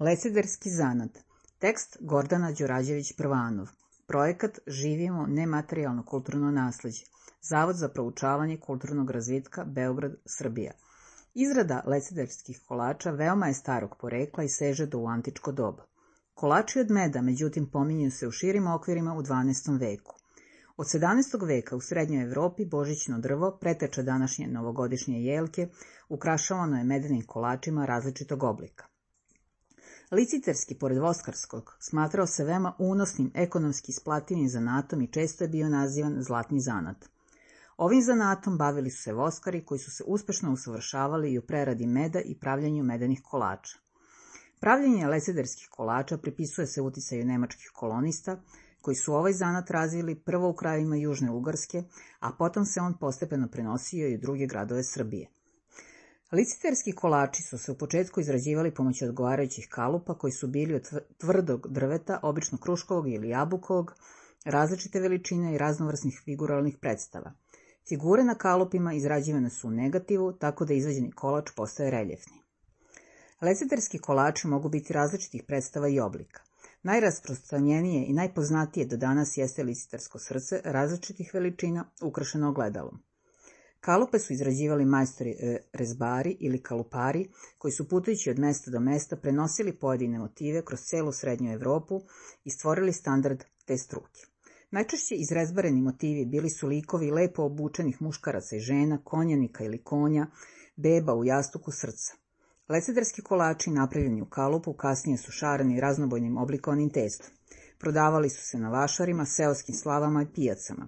Lesiderski zanat. Tekst Gordana Đurađević-Prvanov. Projekat Živimo nematerijalno kulturno nasleđe. Zavod za proučavanje kulturnog razvitka Beograd, Srbija. Izrada lesiderskih kolača veoma je starog porekla i seže do u antičko doba. Kolači od meda, međutim, pominju se u širim okvirima u 12. veku. Od 17. veka u srednjoj Evropi božićno drvo, preteča današnje novogodišnje jelke, ukrašavano je medenim kolačima različitog oblika. Liciterski, pored voskarskog, smatrao se veoma unosnim, ekonomski isplativim zanatom i često je bio nazivan zlatni zanat. Ovim zanatom bavili su se voskari koji su se uspešno usavršavali i u preradi meda i pravljanju medenih kolača. Pravljenje lesiderskih kolača pripisuje se uticaju nemačkih kolonista, koji su ovaj zanat razvili prvo u krajevima Južne Ugarske, a potom se on postepeno prenosio i u druge gradove Srbije. Liciterski kolači su se u početku izrađivali pomoću odgovarajućih kalupa koji su bili od tvrdog drveta, obično kruškovog ili jabukovog, različite veličine i raznovrsnih figuralnih predstava. Figure na kalupima izrađivane su u negativu, tako da izvađeni kolač postaje reljefni. Liciterski kolači mogu biti različitih predstava i oblika. Najrasprostranjenije i najpoznatije do danas jeste licitersko srce različitih veličina ukrašeno ogledalom. Kalupe su izrađivali majstori rezbari ili kalupari, koji su putujući od mesta do mesta prenosili pojedine motive kroz celu srednju Evropu i stvorili standard te struke. Najčešće izrezbareni motivi bili su likovi lepo obučenih muškaraca i žena, konjanika ili konja, beba u jastuku srca. Lesiderski kolači napravljeni u kalupu kasnije su šareni raznobojnim oblikovanim testom. Prodavali su se na vašarima, seoskim slavama i pijacama.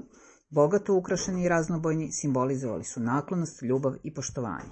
Bogato ukrašeni i raznobojni simbolizovali su naklonost, ljubav i poštovanje.